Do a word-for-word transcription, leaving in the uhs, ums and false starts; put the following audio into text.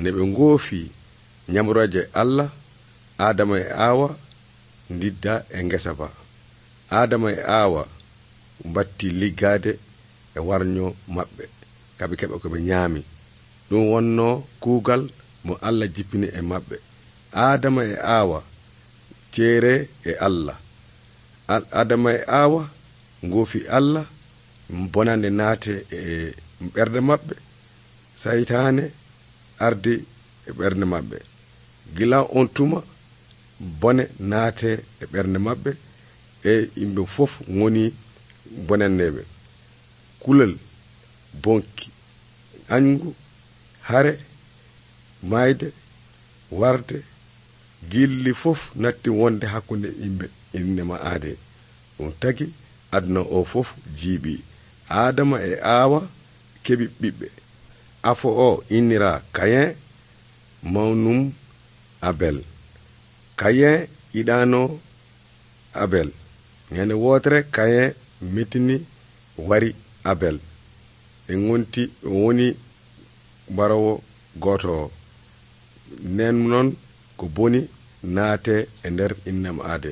ne ɓe ngoofi ñamroje Allah, Adama e Awa ndidda e ngesa ba. Adama e Awa batti liggade e warño maɓɓe kaɓe keɓa ko ɓe ñaami. ɗum wonno kuugal mo Allah jippini e maɓɓe. Adama e Awa ceere e Allah. Adama e Awa ngoofi Allah, bonande naate e ɓernde maɓɓe, saytaane ardi e ɓernde maɓɓe. Gila on tuma bone naate e ɓernde maɓɓe e yimɓe fof ngoni bonanneɓe. Kulol bonki, añgu, hare, mayde, warde, gilli fof natti wonde hakkunde yimɓe innema aade. ɗum tagi aduna o fof jiiɓi. Adama e Awa keɓi ɓiɓɓe. Afo o innira Kayen, mawnum Abel. Kayen yiɗano Abel. ñande wotere Kayen metini wari Abel. e gonti woni barawo goto o. nden noon ko boni naate e nder innama aade.